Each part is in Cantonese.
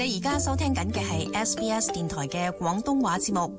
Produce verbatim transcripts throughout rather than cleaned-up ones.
你而家收聽緊嘅係 S B S 電台嘅廣東話節目。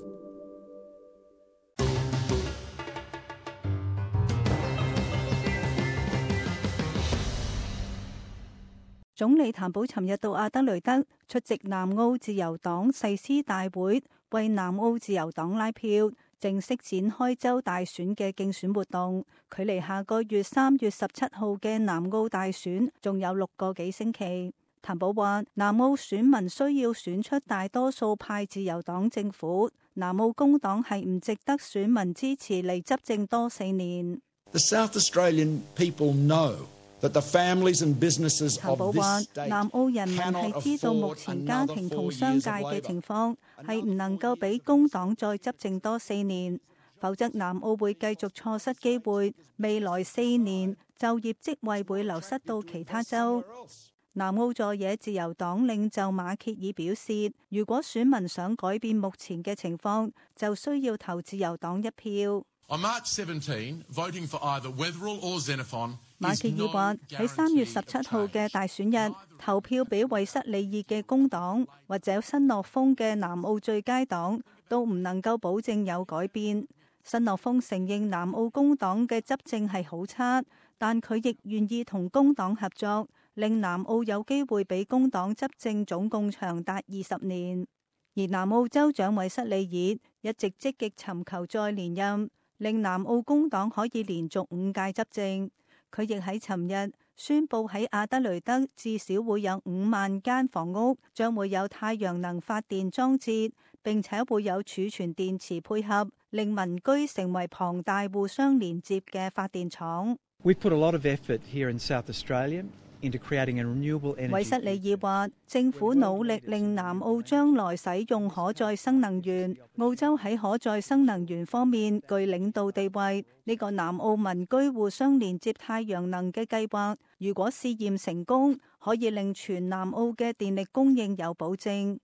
總理譚寶尋日到阿德雷德出席南澳自由黨誓師大會，為南澳自由黨拉票，正式展開州大選嘅競選活動。距離下個月三月十七號嘅南澳大選仲有六個幾星期。譚寶話，南澳選民需要選出大多數派自由黨政府，南澳工黨係唔值得選民支持嚟執政多四年。The South Australian people know that the families and businesses of this state 南澳人民係知道目前家庭同商界嘅情況係唔能夠俾工黨再執政多四年，否則南澳會繼續錯失機會，未來四年就業職位會流失到其他州。南澳在野自由黨領袖馬歇爾表示，如果選民想改變目前嘅情況，就需要投自由黨一票。On March seventeenth, voting for either Wetherill or Xenophon 馬歇爾話喺三月十七號嘅大選日投票俾韋塞里爾嘅工黨或者新樂豐嘅南澳最佳黨都唔能夠保證有改變。新樂豐承認南澳工黨嘅執政係好差，但佢亦願意同工黨合作，令南澳有機會俾工黨執政總共長達二十年。而南澳州長韋塞里爾一直積極尋求再連任，令南澳工黨可以連續五屆執政。佢亦喺尋日宣布喺阿德雷德至少會有五萬間房屋將會有太陽能發電裝置，並且會有儲存電池配合，令民居成為龐大互相連接嘅發電廠。We've put a lot of effort here in South Australia into creating a renewable energy. 韋塞里爾話，政府努力令南澳將來使用可再生能源。澳洲喺可再生能源方面具領導地位。呢個南澳民居互相連接太陽能嘅計劃，如果試驗成功，可以令全南澳嘅電力供應有保證。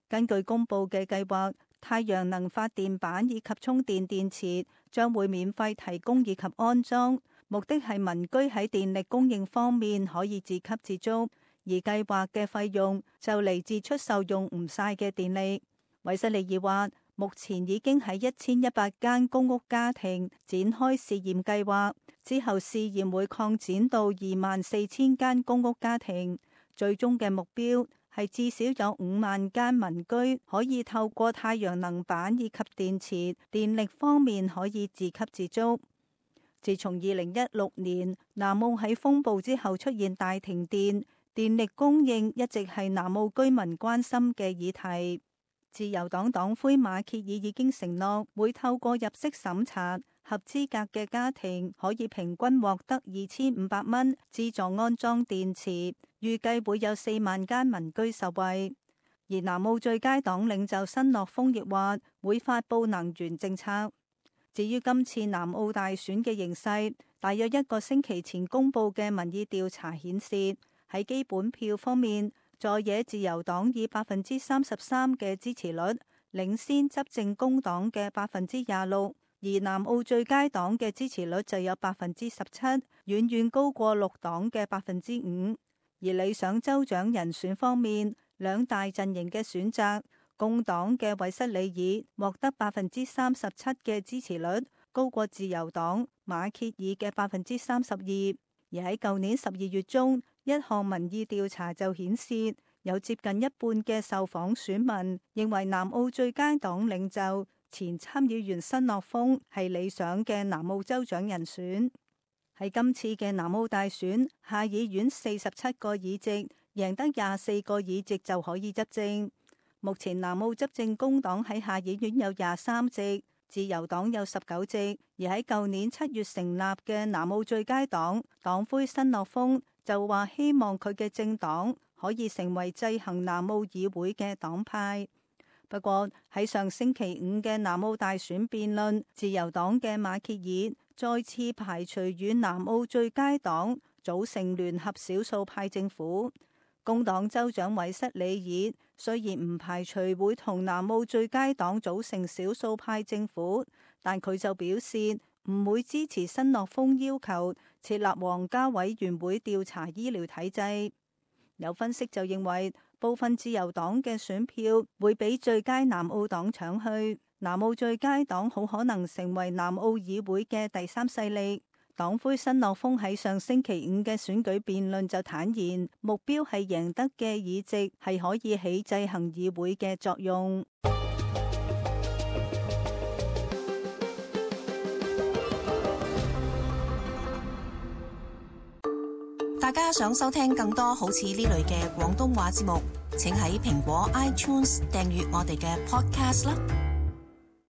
根據公佈嘅計劃，太陽能發電板以及充電電池將會免費提供以及安裝。目的係民居喺電力供應方面可以自給自足，而計劃嘅費用就嚟自出售用唔晒嘅電力。韋塞里爾話，目前已經喺一千一百間公屋家庭展開試驗計劃，之後試驗會擴展到二萬四千間公屋家庭，最終嘅目標係至少有五萬間民居可以透過太陽能板以及電池，電力方面可以自給自足。自從二零一六年南澳喺風暴之後出現大停電，電力供應一直係南澳居民關心嘅議題。自由黨黨魁馬歇爾已經承諾會透過入息審查，合資格嘅家庭可以平均獲得二千五百蚊資助安裝電池，預計會有四萬間民居受惠。而南澳最佳黨領袖新樂豐亦話會發佈能源政策。至於今次南澳大選嘅形勢，大約一個星期前公佈嘅民意調查顯示，喺基本票方面，在野自由黨以百分之三十三嘅支持率領先執政工黨嘅百分之廿六，而南澳最佳黨嘅支持率就有百分之十七，遠遠高過綠黨嘅百分之五。而理想州長人選方面，兩大陣營嘅選擇，工黨嘅韋塞里爾獲得百分之三十七嘅支持率，高過自由黨馬歇爾嘅百分之三十二。而喺舊年十二月中，一項民意調查就顯示，有接近一半嘅受訪選民認為南澳最佳黨領袖前參議員新樂豐係理想嘅南澳州長人選。喺今次嘅南澳大選，下議院四十七個議席，贏得廿四個議席就可以執政。目前南澳執政工黨喺下議院有廿三席，自由黨有十九席，而喺舊年七月成立嘅南澳最佳黨黨魁新樂豐就話希望佢嘅政黨可以成為制衡南澳議會嘅黨派。不過喺上星期五嘅南澳大選辯論，自由黨嘅馬歇爾再次排除與南澳最佳黨組成聯合少數派政府。工黨州長韋塞里爾雖然唔排除會同南澳最佳黨組成少數派政府，但佢就表示唔會支持新樂豐要求設立皇家委員會調查醫療體制。有分析就認為，部分自由黨嘅選票會俾最佳南澳黨搶去。南澳最佳黨好可能成為南澳議會嘅第三勢力。黨魁新樂豐喺上星期五嘅選舉辯論就坦言，目標係贏得嘅議席係可以起制衡議會嘅作用。大家想收聽更多好似呢類嘅廣東話節目，請喺蘋果 iTunes 訂閱我哋嘅 podcast 啦。